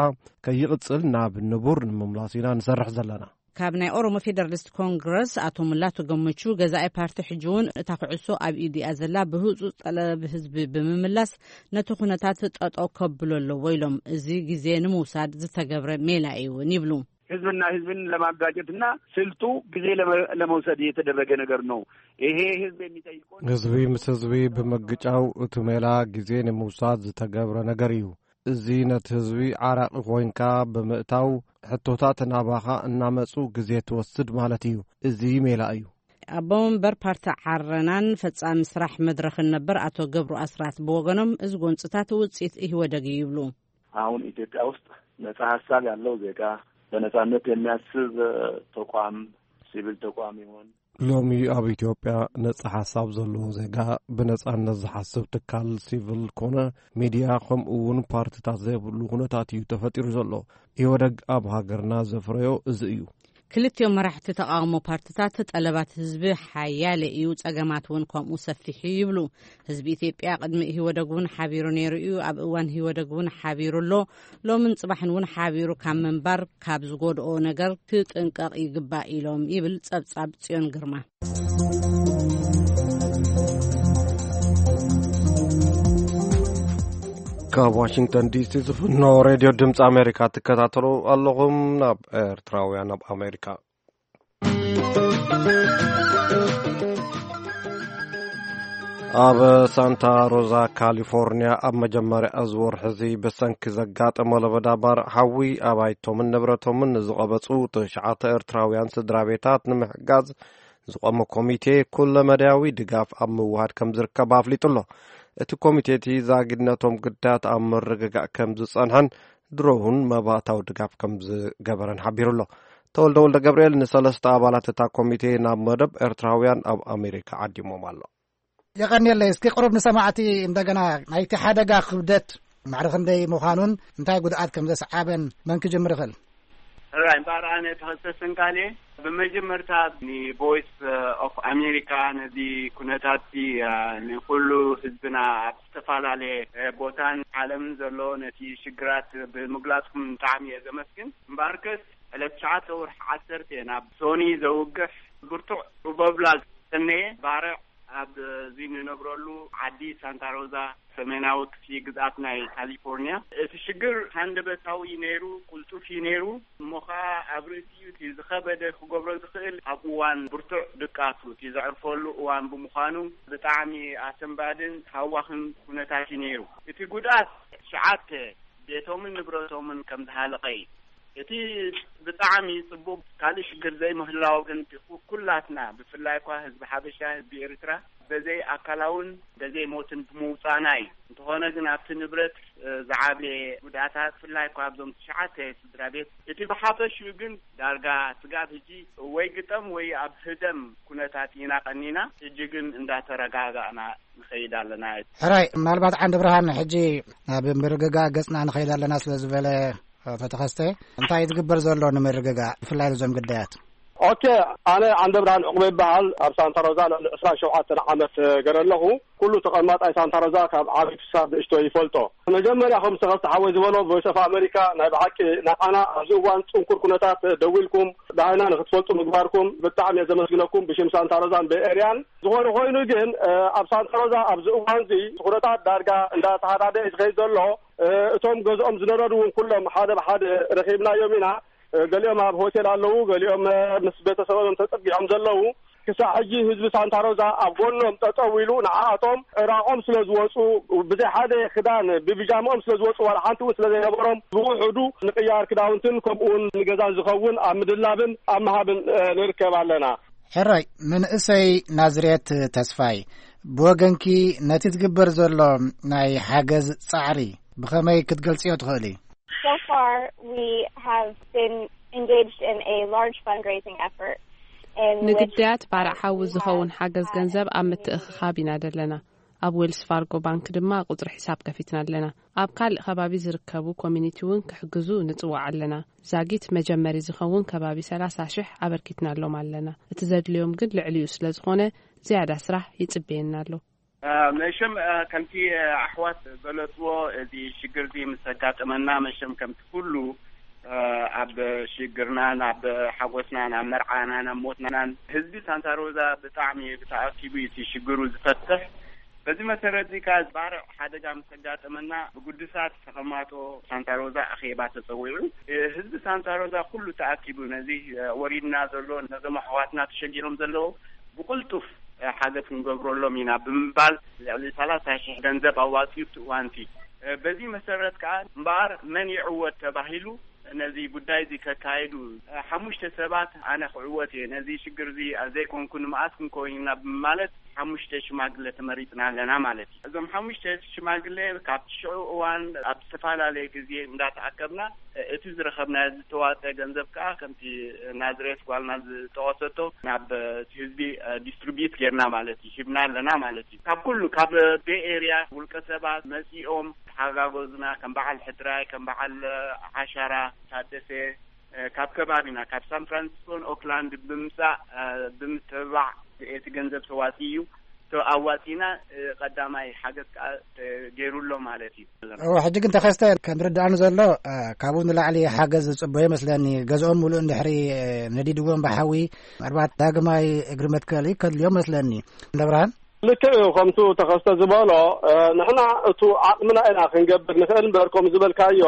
ከይቕጽል ናብ ንቡር ንምምላስ ኢና ንሰርሕ ዘለና። ካብ ናይ ኦሮሞ ፌደራሊስት ኮንግረስ ኣቶ ሙላቱ ገመቹ፣ ገዛኢ ፓርቲ ሕጂ እውን እታ ኩዕሶ ኣብ ኢዱ እያ ዘላ፣ ብህፁፅ ጠለብ ህዝቢ ብምምላስ ነቲ ኩነታት ጠጠው ከብሎ ኣለዎ ኢሎም። እዚ ግዜ ንምውሳድ ዝተገብረ ሜላ እዩ እውን ይብሉ። ህዝብና ህዝብን ለማጋጨትና ስልቱ ጊዜ ለመ-፣ ለመውሰድ የተደረገ ነገር ነው። ይሄ ህዝብ የሚጠይቀው ህዝቢ ምስ ህዝቢ ብምግጫው እቲ ሜላ ግዜ ንምውሳድ ዝተገብረ ነገር እዩ። እዚ ነቲ ህዝቢ ዓራቂ ኮይንካ ብምእታው ሕቶታት ናባኻ እናመጹ ግዜ ትወስድ ማለት እዩ። እዚ ሜላ እዩ። ኣቦ መንበር ፓርቲ ዓረናን ፈጻሚ ስራሕ መድረኽን ነበር ኣቶ ገብሩ ኣስራት ብወገኖም፣ እዚ ጎንጽታት ውጽኢት ኢህወደግ እዩ ይብሉ። አሁን ኢትዮጵያ ውስጥ ነጻ ሀሳብ ያለው ዜጋ፣ በነጻነት የሚያስብ ተቋም፣ ሲቪል ተቋም ይሆን፣ ሎሚ ኣብ ኢትዮጵያ ነጻ ሓሳብ ዘለዎ ዜጋ፣ ብነጻነት ዝሓስብ ትካል ሲቪል ኮነ ሚድያ፣ ከምኡ እውን ፓርትታት ዘይብሉ ኩነታት እዩ ተፈጢሩ ዘሎ። ኢህወደግ ኣብ ሃገርና ዘፍረዮ እዚ እዩ። ክልቲኦም መራሕቲ ተቓውሞ ፓርትታት፣ ጠለባት ህዝቢ ሓያለ እዩ፣ ጸገማት እውን ከምኡ ሰፊሕ እዩ ይብሉ። ህዝቢ ኢትዮጵያ ቅድሚ ኢህወደግ እውን ሓቢሩ ነይሩ እዩ። ኣብ እዋን ኢህወደግ እውን ሓቢሩ ኣሎ። ሎምን ጽባሕን እውን ሓቢሩ ካብ ምንባር ካብ ዝጎድኦ ነገር ክጥንቀቕ ይግባእ ኢሎም ይብል ጸብጻብ ጽዮን ግርማ። ካብ ዋሽንግተን ዲሲ ዝፍኖ ሬድዮ ድምፂ ኣሜሪካ ትከታተሉ ኣለኹም። ናብ ኤርትራውያን ኣብ ኣሜሪካ፣ ኣብ ሳንታ ሮዛ ካሊፎርኒያ፣ ኣብ መጀመርያ እዚ ወርሒ እዚ ብሰንኪ ዘጋጠመ ለበዳ ባርዕ ሓዊ ኣባይቶምን ንብረቶምን ንዝቐበጹ ትሽዓተ ኤርትራውያን ስድራ ቤታት ንምሕጋዝ ዝቖመ ኮሚቴ ኩለመዳያዊ ድጋፍ ኣብ ምውሃድ ከም ዝርከብ ኣፍሊጡ ኣሎ። እቲ ኮሚቴ እቲ ዛጊድነቶም ግዳያት ኣብ ምርግጋእ ከም ዝጸንሐን ድሮ እውን መባእታዊ ድጋፍ ከም ዝገበረን ሓቢሩ ኣሎ። ተወልደ ወልደ ገብርኤል ንሰለስተ ኣባላት እታ ኮሚቴ ናብ መደብ ኤርትራውያን ኣብ ኣሜሪካ ዓዲሞም ኣሎ። የቐንየለይ። እስኪ ቅሩብ ንሰማዕቲ እንደገና ናይቲ ሓደጋ ክብደት ማዕረ ክንደይ ምዃኑን እንታይ ጉድኣት ከም ዘስዓበን መን ክጅምር ይኽእል? ራይ እምበኣር ኣነ ተኸሰስን ካልእ ብመጀመርታ ንቮይስ ኦፍ ኣሜሪካ ነዚ ኩነታት ንኩሉ ህዝብና ኣብ ዝተፈላለየ ቦታን ዓለምን ዘሎ ነቲ ሽግራት ብምግላጽኩም ብጣዕሚ እየ ዘመስግን። እምበኣርከስ ዕለት ትሽዓተ ወርሒ ዓሰርተ ናብ ሶኒ ዘውግሕ ብርቱዕ ሩበብላ ዝሰነየ ባርዕ ኣብ እዚ ንነብረሉ ዓዲ ሳንታ ሮዛ ሰሜናዊ ክፍሊ ግዝኣት ናይ ካሊፎርኒያ። እቲ ሽግር ሃንደበታዊ ነይሩ፣ ቅልጡፍ እዩ ነይሩ። እሞ ኸዓ ኣብ ርእሲኡ እቲ ዝኸበደ ክገብሮ ዝኽእል ኣብ እዋን ብርቱዕ ድቃሱ እቲ ዘዕርፈሉ እዋን ብምዃኑ ብጣዕሚ ኣሰንባድን ሃዋኽን ኩነታት እዩ ነይሩ። እቲ ጉድኣት ትሽዓተ ቤቶምን ንብረቶምን ከም ዝሃለቐ እዩ። እቲ ብጣዕሚ ጽቡቕ ካልእ ሽግር ዘይምህላው ግን ኩላትና ብፍላይ እኳ ህዝቢ ሓበሻ ህዝቢ ኤርትራ በዘይ ኣካላውን በዘይ ሞትን ብምውጻእና እዩ። እንተኾነ ግን ኣብቲ ንብረት ዝዓበየ ጉድኣታት ብፍላይ እኳ ኣብዞም ትሽዓተ ስድራ ቤት እቲ ብሓፈሽኡ ግን ዳርጋ ስጋብ ሕጂ ወይ ግጠም ወይ ኣብ ህደም ኩነታት ኢና ቀኒና። ሕጂ ግን እንዳተረጋጋእና ንኸይድ ኣለና። ሕራይ ምናልባት ዓንዲ ብርሃን ሕጂ ናብ ምርግጋእ ገጽና ንኸይድ ኣለና ስለ ዝበለ፣ ተተኸስተ እንታይ ዝግበር ዘሎ ንምርግጋእ ብፍላይ እዞም ግዳያት? ኦኬ፣ ኣነ ዓንደ ብርሃን ዕቑበ ይበሃል። ኣብ ሳንታ ሮዛ ልዕሊ ዕስራን ሸውዓተን ዓመት ገረ ኣለኹ። ኩሉ ተቐማጣይ ሳንታ ሮዛ ካብ ዓቢ ክሳብ ንእሽቶ ይፈልጦ። መጀመርያ ከም ዝተኸስተ ሓወይ ዝበሎ ቮይስ ኦፍ ኣሜሪካ ናይ ብሓቂ ንዓና ኣብዚ እዋን ጽንኩር ኩነታት ደዊልኩም ዳሃይና ንክትፈልጡ ምግባርኩም ብጣዕሚ እየ ዘመስግነኩም ብሽም ሳንታ ሮዛን በኤርያን። ዝኾነ ኮይኑ ግን ኣብ ሳንታ ሮዛ ኣብዚ እዋን እዚ ኩነታት ዳርጋ እንዳተሃዳደ እዩ ዝኸይድ ዘሎ። እቶም ገዝኦም ዝነረዱ እውን ኩሎም ሓደ ብሓደ ረኺብናዮም ኢና። ገሊኦም ኣብ ሆቴል ኣለዉ፣ ገሊኦም ምስ ቤተሰቦም ተጸጊዖም ዘለዉ። ክሳዕ ሕጂ ህዝቢ ሳንታ ሮዛ ኣብ ጎኖም ጠጠው ኢሉ ንዓኣቶም ዕራቖም ስለ ዝወጹ፣ ብዘይ ሓደ ክዳን ብቢጃምኦም ስለ ዝወጹ ዋላ ሓንቲ እውን ስለ ዘይነበሮም ብውሑዱ ንቅያር ክዳውንትን ከምኡ እውን ንገዛን ዝኸውን ኣብ ምድላብን ኣብ ምሃብን ንርከብ ኣለና። ሕራይ መንእሰይ ናዝሬት ተስፋይ፣ ብወገንኪ ነቲ ትግበር ዘሎ ናይ ሓገዝ ጻዕሪ ብኸመይ ክትገልጽዮ ትኽእሊ? So far, we have been engaged in a large fundraising effort. In which ንግዳያት ባርዕ ሓዊ ዝኸውን ሓገዝ ገንዘብ ኣብ ምትእኽኻብ ኢና ዘለና። ኣብ ዌልስ ፋርጎ ባንክ ድማ ቁጽሪ ሒሳብ ከፊትና ኣለና። ኣብ ካልእ ከባቢ ዝርከቡ ኮሚኒቲ እውን ክሕግዙ ንጽዋዕ ኣለና። ዛጊት መጀመሪ ዝኸውን ከባቢ ሰላሳ ሽሕ ኣበርኪትናሎም ኣለና። እቲ ዘድልዮም ግን ልዕሊኡ ስለ ዝኾነ ዝያዳ ስራሕ ይጽበየና ኣሎ። መሸም ከምቲ ኣሕዋት ዝገለጽዎ እዚ ሽግር እዚ ምስ ኣጋጠመና መሸም ከምቲ ኩሉ ኣብ ሽግርናን ኣብ ሓጎስናን ኣብ መርዓናን ኣብ ሞትናን ህዝቢ ሳንታ ሮዛ ብጣዕሚ ተኣኪቡ እዩ እቲ ሽግሩ ዝፈትሕ። በዚ መሰረት እዚ ከኣ ባርዕ ሓደጋ ምስ ኣጋጠመና ብግዱሳት ተቐማጦ ሳንታ ሮዛ ኣኼባ ተጸዊዑ። ህዝቢ ሳንታ ሮዛ ኩሉ ተኣኪቡ ነዚ ወሪድና ዘሎ ነዞም ኣሕዋትና ተሸጊሮም ዘለዉ ብቕልጡፍ ሓገዝ ክንገብረሎም ኢና ብምባል ልዕሊ ሰላሳ ሽሕ ገንዘብ ኣዋጺኡ ኣብቲ እዋንቲ። በዚ መሰረት ከኣ እምበኣር መን ይዕወት ተባሂሉ ነዚ ጉዳይ እዚ ከካየዱ ሓሙሽተ ሰባት ኣነ ክዕወት እየ ነዚ ሽግር እዚ ዘይኮንኩ ንምኣስ ክንከውን ኢና ብምማለት ሓሙሽተ ሽማግለ ተመሪጽና ኣለና ማለት እዩ። እዞም ሓሙሽተ ሽማግለ ካብቲ ሽዑ እዋን ኣብ ዝተፈላለየ ግዜ እንዳተኣከብና እቲ ዝረኸብናዮ ዝተዋፀ ገንዘብ ከዓ ከምቲ ናዝሬት ጓልና ዝጠቐሰቶ ናብ ህዝቢ ዲስትሪቢዩት ጌርና ማለት እዩ ሂብና ኣለና ማለት እዩ። ካብ ኩሉ ካብ ቤይ ኤርያ ውልቀ ሰባት መፂኦም ተሓጋገዙና ከም በዓል ሕድራይ ከም በዓል ዓሻራ ታደሰ ካብ ከባቢና ካብ ሳን ፍራንሲስኮን ኦክላንድ ብምጻእ ብምትብባዕ እቲ ገንዘብ ተዋጺኡ እዩ። ኣዋጺና ቀዳማይ ሓገዝ ከዓ ገይሩ ኣሎ ማለት እዩ። ሕጂ ግን ተኸስተ ከም ዝርዳእኒ ዘሎ ካብኡ ንላዕሊ ሓገዝ ዝፅበዮ መስለኒ። ገዝኦም ሙሉእ እንድሕሪ ነዲድዎም ብሓዊ ምናልባት ዳግማይ እግሪ መትከሊ ከድልዮም መስለኒ። ደብርሃን? ልክዕ እዩ። ከምቱ ተኸስተ ዝበሎ ንሕና እቱ ዓቕምና ኢና ክንገብር ንኽእል እምበር ከም ዝበልካዮ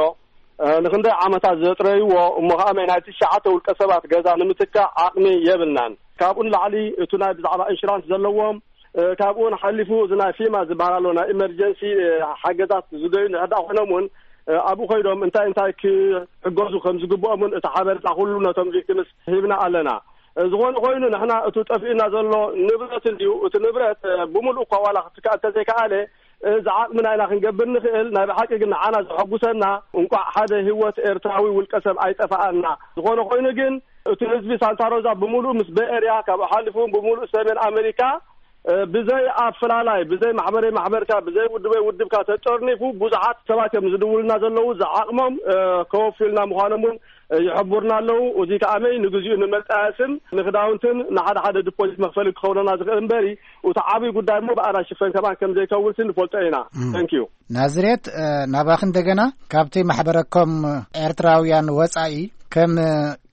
ንክንደይ ዓመታት ዘጥረይዎ እሞ ከዓ ናይ ትሽዓተ ውልቀ ሰባት ገዛ ንምትካእ ዓቕሚ የብልናን። ካብኡ ንላዕሊ እቱ ናይ ብዛዕባ ኢንሹራንስ ዘለዎም ካብኡ ሓሊፉ እዚ ናይ ፊማ ዝበሃል ኣሎ ናይ ኢመርጀንሲ ሓገዛት ዝደዩ ንሕዳ ኮይኖም እውን ኣብኡ ኮይኖም እንታይ እንታይ ክሕገዙ ከም ዝግብኦም እውን እቲ ሓበሬታ ኩሉ ነቶም ቪክቲምስ ሂብና ኣለና። ዝኾነ ኮይኑ ንሕና እቲ ጠፊእና ዘሎ ንብረት እንድዩ። እቲ ንብረት ብምሉእ እኳ ዋላ ክትከኣ እንተዘይከኣለ ዝዓቕምና ኢና ክንገብር ንኽእል። ናይ ብሓቂ ግን ንዓና ዘሐጉሰና እንቋዕ ሓደ ህይወት ኤርትራዊ ውልቀ ሰብ ኣይጠፋኣና። ዝኾነ ኮይኑ ግን እቲ ህዝቢ ሳንታ ሮዛ ብምሉእ ምስ በኤርያ ካብኡ ሓሊፉ እውን ብምሉእ ሰሜን ኣሜሪካ ብዘይ ኣፈላላይ ብዘይ ማሕበረይ ማሕበርካ ብዘይ ውድበይ ውድብካ ተጠርኒፉ ብዙሓት ሰባት እዮም ዝድውልና ዘለዉ። ዝዓቕሞም ከወፍዩልና ምዃኖም እውን ይሕቡርና ኣለዉ። እዚ ከዓመይ ንግዚኡ ንመጣየስን ንክዳውንትን ንሓደ ሓደ ዲፖዚት መክፈሊ ክኸውነና ዝኽእል እምበሪ እቲ ዓብዪ ጉዳይ እሞ ብኣና ሽፈን ከማን ከም ዘይከውንሲ ንፈልጦ ኢና። ተንኪዩ። ናዝሬት፣ ናባኺ እንደገና። ካብቲ ማሕበረኮም ኤርትራውያን ወጻኢ ከም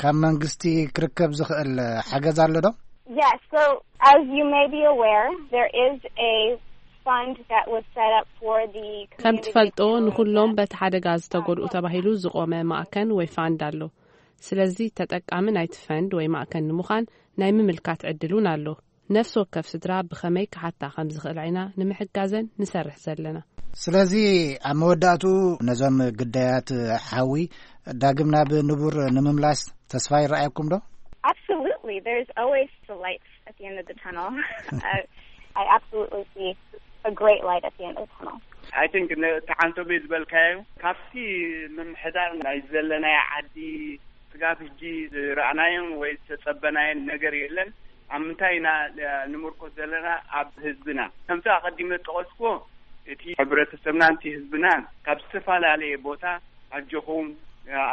ካብ መንግስቲ ክርከብ ዝኽእል ሓገዝ ኣሎ ዶ? Yes, so as you may be aware, there is a fund that was set up for the ከም ትፈልጦ ንኹሎም በቲ ሓደጋ ዝተጎድኡ ተባሂሉ ዝቆመ ማእከን ወይ ፋንድ ኣሎ። ስለዚ ተጠቃሚ ናይቲ ፈንድ ወይ ማእከን ንምዃን ናይ ምምልካት ዕድል እውን ኣሎ። ነፍሲ ወከፍ ስድራ ብኸመይ ክሓታ ከም ዝኽእል ኢና ንምሕጋዘን ንሰርሕ ዘለና። ስለዚ ኣብ መወዳእቱ ነዞም ግዳያት ሓዊ ዳግም ናብ ንቡር ንምምላስ ተስፋ ይረኣየኩም ዶ? Absolutely. There's always the light at the end of the tunnel. I, I absolutely see a great light at the end of the tunnel. I think ንተዓንቶ ቤት ዝበልካዮ ካብቲ ምምሕዳር ናይ ዘለናዮ ዓዲ ስጋብ ሕጂ ዝረኣናዮን ወይ ዝተጸበናዮን ነገር የለን። ኣብ ምንታይ ኢና ንምርኮስ ዘለና? ኣብ ህዝብና ከምቲ ኣቐዲመ ጠቐስኩዎ እቲ ሕብረተሰብና ንቲ ህዝብና ካብ ዝተፈላለየ ቦታ ኣጆኹም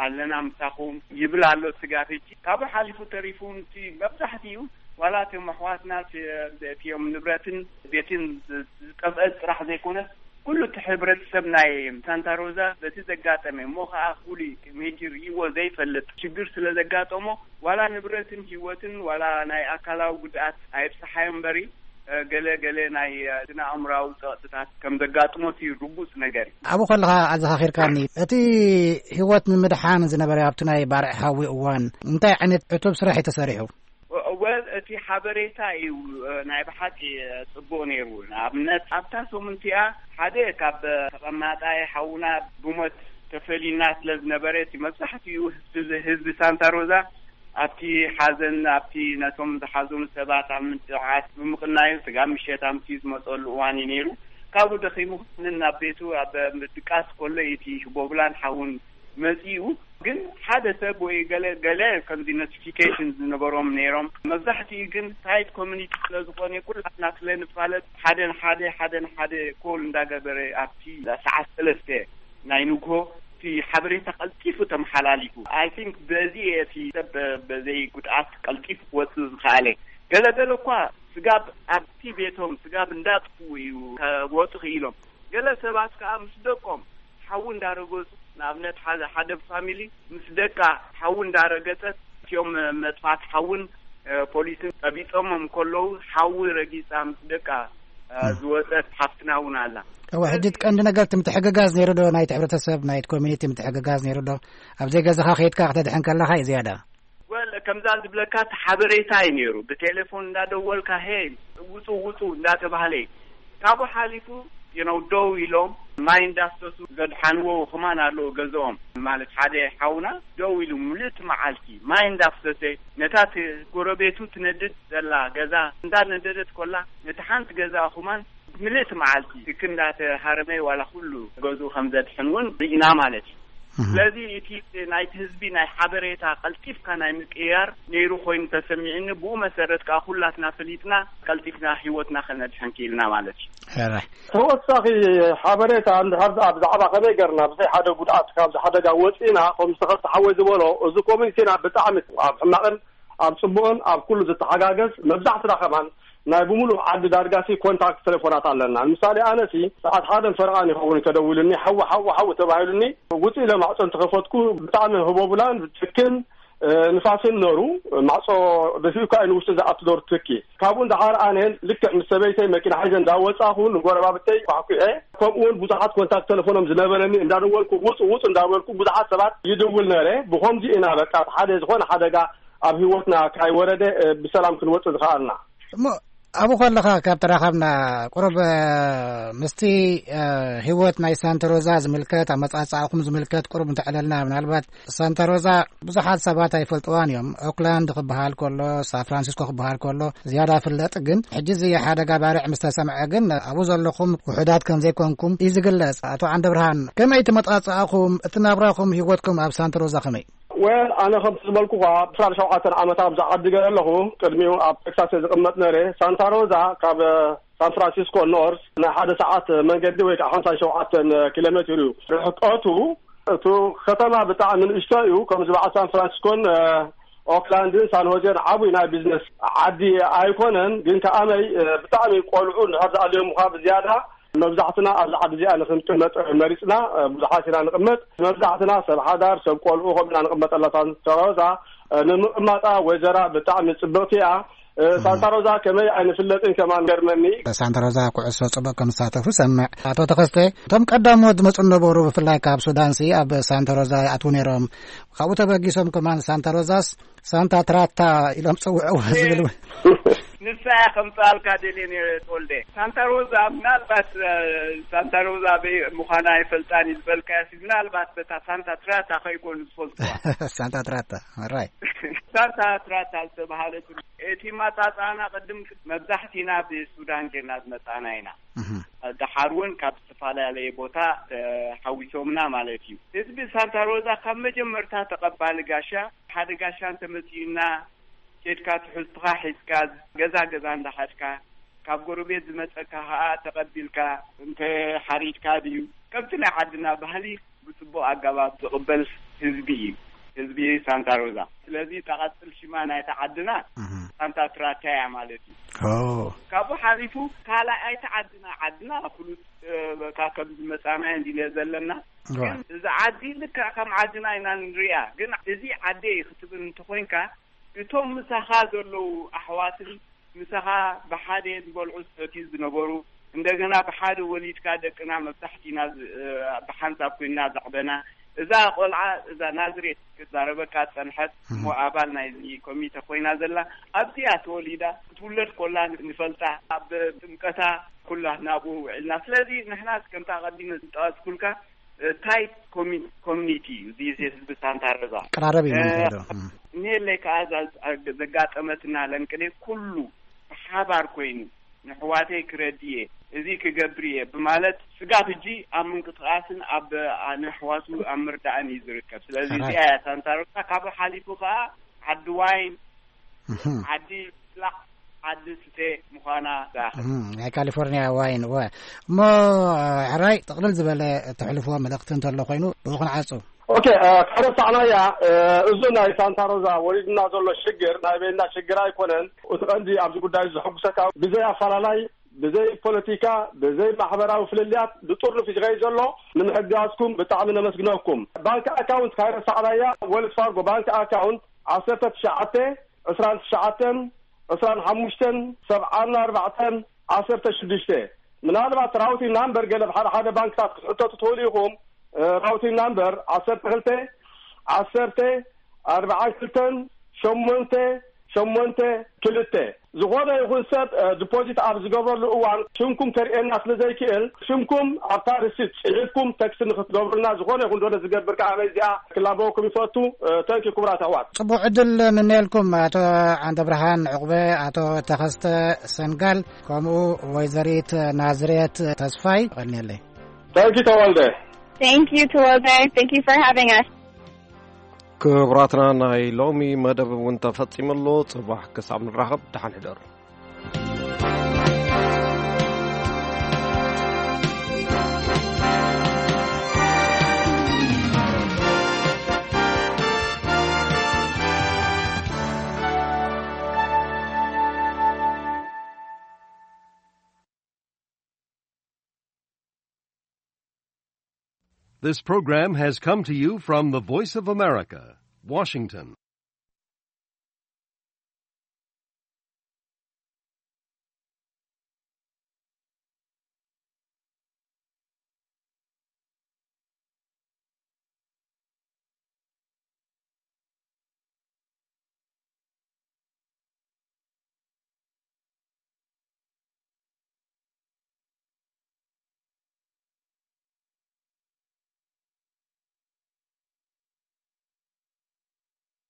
ኣለና ምሳኹም ይብል ኣሎ። ስጋብ ሕጂ ካብኡ ሓሊፉ ተሪፉ ንቲ መብዛሕትኡ ዋላ እቶም ኣሕዋትና እቲኦም ንብረትን ቤትን ዝጠፍአ ጥራሕ ዘይኮነስ ኩሉ እቲ ሕብረተሰብ ናይ ሳንታ ሮዛ በቲ ዘጋጠመ እሞ ከዓ ፍሉይ ሜጅር ይዎ ዘይፈልጥ ሽግር ስለ ዘጋጠሞ ዋላ ንብረትን ህይወትን ዋላ ናይ ኣካላዊ ጉድኣት ኣይብፅሓዮ እምበሪ ገለ ገለ ናይ ስነ ኣእምራዊ ፀቕጥታት ከም ዘጋጥሞት እዩ ርጉፅ ነገር እዩ። ኣብኡ ከለኻ ኣዘኻኺርካኒ እቲ ህይወት ንምድሓን ዝነበረ ኣብቲ ናይ ባርዕ ሓዊ እዋን እንታይ ዓይነት ዕቱብ ስራሕ እዩ ተሰሪሑ? ወል እቲ ሓበሬታ እዩ ናይ ብሓቂ ፅቡቅ ነይሩ። ንኣብነት ኣብታ ሰሙን እቲኣ ሓደ ካብ ተቐማጣይ ሓውና ብሞት ተፈሊና ስለ ዝነበረ እቲ መብዛሕትኡ ህዝቢ ሳንታ ሮዛ ኣብቲ ሓዘን ኣብቲ ነቶም ዝሓዘኑ ሰባት ኣብ ምድዓት ብምቕናዩ ስጋብ ምሸት ኣምስዩ ዝመፀሉ እዋን እዩ ነይሩ። ካብኡ ደኺሙ ናብ ቤቱ ኣብ ምድቃስ ከሎ እቲ ሽቦብላን ሓውን መጺኡ ግን ሓደ ሰብ ወይ ገለ ገለ ከምዚ ኖቲፊኬሽን ዝነበሮም ነይሮም። መብዛሕትኡ ግን ታይት ኮሚኒቲ ስለ ዝኾነ ኩላትና ስለ ንፋለጥ ሓደ ንሓደ ሓደ ንሓደ ኮል እንዳገበረ ኣብቲ ሰዓት ሰለስተ ናይ ንግሆ እቲ ሓበሬታ ቀልጢፉ ተመሓላሊፉ። ኣይ ቲንክ በዚ እቲ ሰብ በዘይ ጉድኣት ቀልጢፉ ክወፅእ ዝኸኣለ። ገለ ገለ እኳ ስጋብ ኣብቲ ቤቶም ስጋብ እንዳጥፍኡ እዩ ከወፁ ክኢሎም። ገለ ሰባት ከኣ ምስ ደቆም ሓዊ እንዳረገጹ ንኣብነት ሓደ ሓደ ፋሚሊ ምስ ደቃ ሓዊ እንዳረገጸት እቲኦም መጥፋት ሓውን ፖሊስን ጠቢጾሞም ከለዉ ሓዊ ረጊጻ ምስ ደቃ ዝወጸት ሓፍትና እውን ኣላ። እወ ሕጂ እቲ ቀንዲ ነገር እቲ ምትሕግጋዝ ነይሩ ዶ ናይቲ ሕብረተሰብ ናይቲ ኮሚኒቲ ምትሕግጋዝ ነይሩ ዶ? ኣብ ዘይገዛኻ ከይድካ ክተድሕን ከለኻ እዩ ዝያዳ። ወል ከምዛ ዝብለካ እቲ ሓበሬታ እዩ ነይሩ ብቴሌፎን እንዳደወልካ ሄ ውፁ ውፁ እንዳተባህለ እዩ። ካብኡ ሓሊፉ you know ደው ኢሎም ማይ እንዳፍሰሱ ዘድሓንዎ ክማን ኣለዎ ገዝኦም ማለት ሓደ ሓውና ደው ኢሉ ምልእቲ መዓልቲ ማይ እንዳፍሰሰ ነታ ጎረቤቱ ትነድድ ዘላ ገዛ እንዳነደደት ኮላ ነቲ ሓንቲ ገዛ ክማን ምልእቲ መዓልቲ ትክ እንዳተሃረመ ዋላ ኩሉ ገዝኡ ከም ዘድሕን እውን ርኢና ማለት እዩ። እህ። ስለዚ እቲ ናይቲ ህዝቢ ናይ ሓበሬታ ቀልጢፍካ ናይ ምቅያር ነይሩ ኮይኑ ተሰሚዕኒ። ብኡ መሰረት ከዓ ኩላትና ፈሊጥና ቀልጢፍና ህይወትና ከነድሕን ክኢልና ማለት እዩ። ሕራይ። ተወሳኺ ሓበሬታ እንድሕር ደኣ ብዛዕባ ከመይ ገርና ብዘይ ሓደ ጉድኣት ካብዚ ሓደጋ ወፂና፣ ከም ዝተኸፍተ ሓወይ ዝበሎ፣ እዚ ኮሚኒቲና ብጣዕሚ ኣብ ሕማቕን ኣብ ጽቡቕን ኣብ ኩሉ ዝተሓጋገዝ፣ መብዛሕትና ከማን ናይ ብምሉእ ዓዲ ዳርጋሲ ኮንታክት ቴሌፎናት ኣለና። ንምሳሌ፣ ኣነሲ ሰዓት ሓደን ፈረቓን ይኸውን እዩ ተደዊሉኒ፣ ሓዊ፣ ሓዊ፣ ሓዊ ተባሂሉኒ፣ ውጽእ ኢለ ማዕጾ እንተኸፈትኩ፣ ብጣዕሚ ህቦብላን ትክን፣ እ፣ ንፋስን ነሩ፣ ማዕጾ ደፊኡ እኳ እዩ ንውሽጢ ዝኣቱ ዶር ትኪ። ካብኡ እንዳሓር ኣነ ልክዕ ምስ ሰበይተይ መኪና ሒዘ እንዳወጻኹ፣ ንጎረባብተይ ኳሕኩዐ። ከምኡ እውን ብዙሓት ኮንታክት ቴሌፎኖም ዝነበረኒ እንዳደወልኩ፣ ውጹ፣ ውጹ እንዳበልኩ፣ ብዙሓት ሰባት ይድውል ነረ። ብኸምዚ ኢና በቃ ሓደ ዝኾነ ሓደጋ ኣብ ህይወትና ካይወረደ፣ እ፣ ብሰላም ክንወጽእ ዝኸኣልና። እሞ ኣብኡ ከለኻ ካብ ተራኸብና ቁሩብ፣ እ፣ ምስቲ፣ እ፣ ህይወት ናይ ሳንታ ሮዛ ዝምልከት፣ ኣመጻጽኣኹም ዝምልከት ቁሩብ እንተዕለልና፣ ምናልባት ሳንታ ሮዛ ብዙሓት ሰባት ኣይፈልጥዋን እዮም። ኦክላንድ ክበሃል ከሎ፣ ሳን ፍራንሲስኮ ክበሃል ከሎ ዝያዳ ፍለጥ፣ ግን ሕጂ እዚ ሓደጋ ባርዕ ምስ ተሰምዐ ግን ኣብኡ ዘለኹም ውሑዳት ከም ዘይኮንኩም እዩ ዝግለጽ። ኣቶ ዓንደ ብርሃን፣ ከመይ እቲ መጻጽኣኹም፣ እቲ ናብራኹም፣ ህይወትኩም ኣብ ሳንታ ሮዛ ከመይ? ወል፣ ኣነ ከምቲ ዝበልኩኻ፣ ዕስራን ሸውዓተን ዓመት ኣብዛ ዓዲ ገለ ኣለኹ። ቅድሚኡ ኣብ ቴክሳስ እየ ዝቕመጥ ነይረ። ሳንታ ሮዛ ካብ ሳን ፍራንሲስኮ ኖርስ ናይ ሓደ ሰዓት መንገዲ ወይ ከዓ ሓምሳን ሸውዓተን ኪሎ ሜትር እዩ ርሕቀቱ። እቲ ከተማ ብጣዕሚ ንእሽቶ እዩ። ከምዚ በዓል ሳን ፍራንሲስኮን፣ እ፣ ኦክላንድን ሳን ሆዜን ዓብይ ናይ ቢዝነስ ዓዲ ኣይኮነን። ግን ከኣመይ፣ እ፣ ብጣዕሚ ቆልዑ እንድሕር ዝኣልዮምኻ ብዝያዳ መብዛሕትና ኣብዚ ዓዲ እዚኣ ንክንቅመጥ መሪፅና፣ እ፣ ብዙሓት ኢና ንቅመጥ። መብዛሕትና ሰብ ሓዳር፣ ሰብ ቆልዑ፣ ከምኡ ኢና ንቅመጠላ። ሳንታ ሮዛ፣ እ፣ ንምቅማጣ ወይዘራ ብጣዕሚ ፅብቅቲ እያ። እ፣ ሳንታ ሮዛ ከመይ ኣይንፍለጥን ከማን ገርመኒ። ሳንታ ሮዛ ኩዕሶ ፅቡቅ ከም ዝሳተፉ ሰምዕ። ኣቶ ተኸስተ፣ እቶም ቀዳሞት ዝመፁ ነበሩ፣ ብፍላይ ካብ ሱዳንሲ ኣብ ሳንታ ሮዛ ይኣትዉ ነይሮም። ካብኡ ተበጊሶም ከማን ሳንታ ሮዛስ ሳንታ ትራታ ኢሎም ጽውዕዎ ዝብል እውን። ንሳ እያ ከምጽኣልካ ደልየ ነይረ፣ ተወልደ። ሳንታ ሮዛ፣ ምናልባት፣ እ፣ ሳንታ ሮዛ ኣበይ ምዃና ኣይፈልጣን እዩ ዝበልካዮ፣ ምናልባት በታ ሳንታ ትራታ ከይኮኑ ዝፈልጥዋ። ሳንታ ትራታ፣ ራይ። ሳንታ ትራታ ዝተባህለት፣ እቲ ማጻጻና ቅድም መብዛሕቲና ብሱዳን ጌርና ዝመጻና ኢና። እህ። ደሓር እውን ካብ ዝተፈላለየ ቦታ፣ እ፣ ሓዊሶምና ማለት እዩ። ህዝቢ ሳንታ ሮዛ ካብ መጀመርታ ተቐባሊ ጋሻ፣ ሓደ ጋሻ እንተመጺኡና፣ ኬድካ ትሕዝትኻ ሒዝካ፣ ገዛ ገዛ እንዳኸድካ፣ ካብ ጎረቤት ዝመጸካ ኸኣ ተቐቢልካ፣ እንተ ሓሪድካ ድዩ፣ ከምቲ ናይ ዓድና ባህሊ ብጽቡቕ ኣገባብ ዝቕበል ህዝቢ እዩ፣ ህዝቢ ሳንታ ሮዛ። ስለዚ፣ እታ ቀጽል ሽማ ናይታ ዓድና እህ። ሳንታ ትራታ እያ ማለት እዩ። ኦ። ካብኡ ሓሊፉ፣ ካልኣይቲ ዓድና፣ ዓድና ፍሉጥ፣ እ፣ በቃ ከም ዝመጻና እንዲለ ዘለና። ዋ። ግን እዚ ዓዲ ልክዕ ከም ዓድና ኢና ንሪኣ። ግን እዚ ዓደይ ክትብል እንተኾይንካ፣ እቶም ምሳኻ ዘለዉ ኣሕዋትን ምሳኻ ብሓደ ዝበልዑ ዝሰትዩ ዝነበሩ፣ እንደገና ብሓደ ወሊድካ ደቅና መብዛሕቲና ዝ-፣ ብሓንሳብ ኮይንና ዘዕበና፣ እዛ ቆልዓ፣ እዛ ናዝሬት ክትዛረበካ ዝጸንሐት፣ እሞ ኣባል ናይዚ ኮሚተ ኮይና ዘላ፣ ኣብዚኣ ተወሊዳ፣ ክትውለድ ኮላ ንፈልጣ፣ ኣብ ጥምቀታ ኩላ ናብኡ ውዒልና። ስለዚ ንሕና ከምታ ቀዲመ ዝጠቐስኩልካ፣ እ፣ ታይት ኮሚ-፣ ኮሚኒቲ እዩ፣ እዚ ህዝቢ ሳንታ ሮዛ። ቀራረብ እዩ እ፣ መንፈዶ። እም። እኒሄለይ ከኣ እዛ ዘጋጠመትና ለንቅሌ ኩሉ ብሓባር ኮይኑ፣ ንሕዋተይ ክረድየ፣ እዚ ክገብር እየ ብማለት፣ ስጋብ ሕጂ ኣብ ምንቅስቃስን ኣብ፣ ኣ፣ ንኣሕዋቱ ኣብ ምርዳእን እዩ ዝርከብ። ስለዚ ሕራይ። እዚኣ እያ ሳንታ ሮዛ። ካብኡ ሓሊፉ ከኣ ዓዲ ዋይን፣ እህም። ዓዲ ጽላዕ፣ ዓዲ ስተ ምዃና ዝኣኽል። እህም፣ ናይ ካሊፎርኒያ ዋይን፣ እወ። እሞ፣ ሕራይ፣ ጥቕልል ዝበለ እተሕልፍዎ መልእኽቲ እንተሎ ኮይኑ፣ ብኡ ክንዓጹ። ኦኬ፣ እ፣ ከረሳዕናያ፣ እ፣ እዚ ናይ ሳንታ ሮዛ ወሪድና ዘሎ ሽግር ናይ በይንና ሽግር ኣይኮነን። እቲ ቀንዲ ኣብዚ ጉዳይ ዘሐጉሰካ፣ ብዘይ ኣፈላላይ፣ ብዘይ ፖለቲካ፣ ብዘይ ማሕበራዊ ፍልልያት ብጥርኑፍ እዩ ዝኸይድ ዘሎ። ንምሕጋዝኩም ብጣዕሚ ነመስግነኩም። ባንክ ኣካውንት ካይረሳዕናያ፣ ወልስ ፋርጎ ባንክ ኣካውንት ዓሰርተ ትሽዓተ፣ ዕስራን ትሽዓተን፣ ዕስራን ሓሙሽተን፣ ሰብዓን ኣርባዕተን፣ ዓሰርተ ሽዱሽተ። ምናልባት ራውቲንግ ናምበር ገለ ብሓደ ሓደ ባንክታት ክትሕተቱ ትኽእሉ ኢኹም። እ፣ ራውቲንግ ናምበር ዓሰርተ ክልተ፣ ዓሰርተ፣ ኣርባዓን ክልተን፣ ሸሞንተ፣ ሸሞንተ፣ ክልተ። ዝኾነ ይኹን ሰብ፣ እ፣ ዲፖዚት ኣብ ዝገብረሉ እዋን ሽምኩም ከርእየና ስለ ዘይክእል፣ ሽምኩም ኣብታ ርሲት ጽሒፍኩም ተክስት ንክትገብሩልና፣ ዝኾነ ይኹን ዶነ ዝገብር ከኣ ኣበይ እዚኣ ክላበወኩም ይፈቱ። እ፣ ተንኪ ክቡራት ኣሕዋት። ጽቡቕ ዕድል ምነየልኩም ኣቶ ዓንደብርሃን ዕቑበ፣ ኣቶ ተኸስተ ሰንጋል፣ ከምኡ ወይዘሪት ናዝሬት ተስፋይ። ቀንየለይ። ተንኪ ተወልደ። Thank you, Tawanda. Thank you for having us. ክቡራትና፣ ናይ ሎሚ መደብ እውን ተፈጺሙ ኣሎ። ጽባሕ ክሳብ ንራኸብ፣ ደሓን ሕደሩ። This program has come to you from the Voice of America, Washington.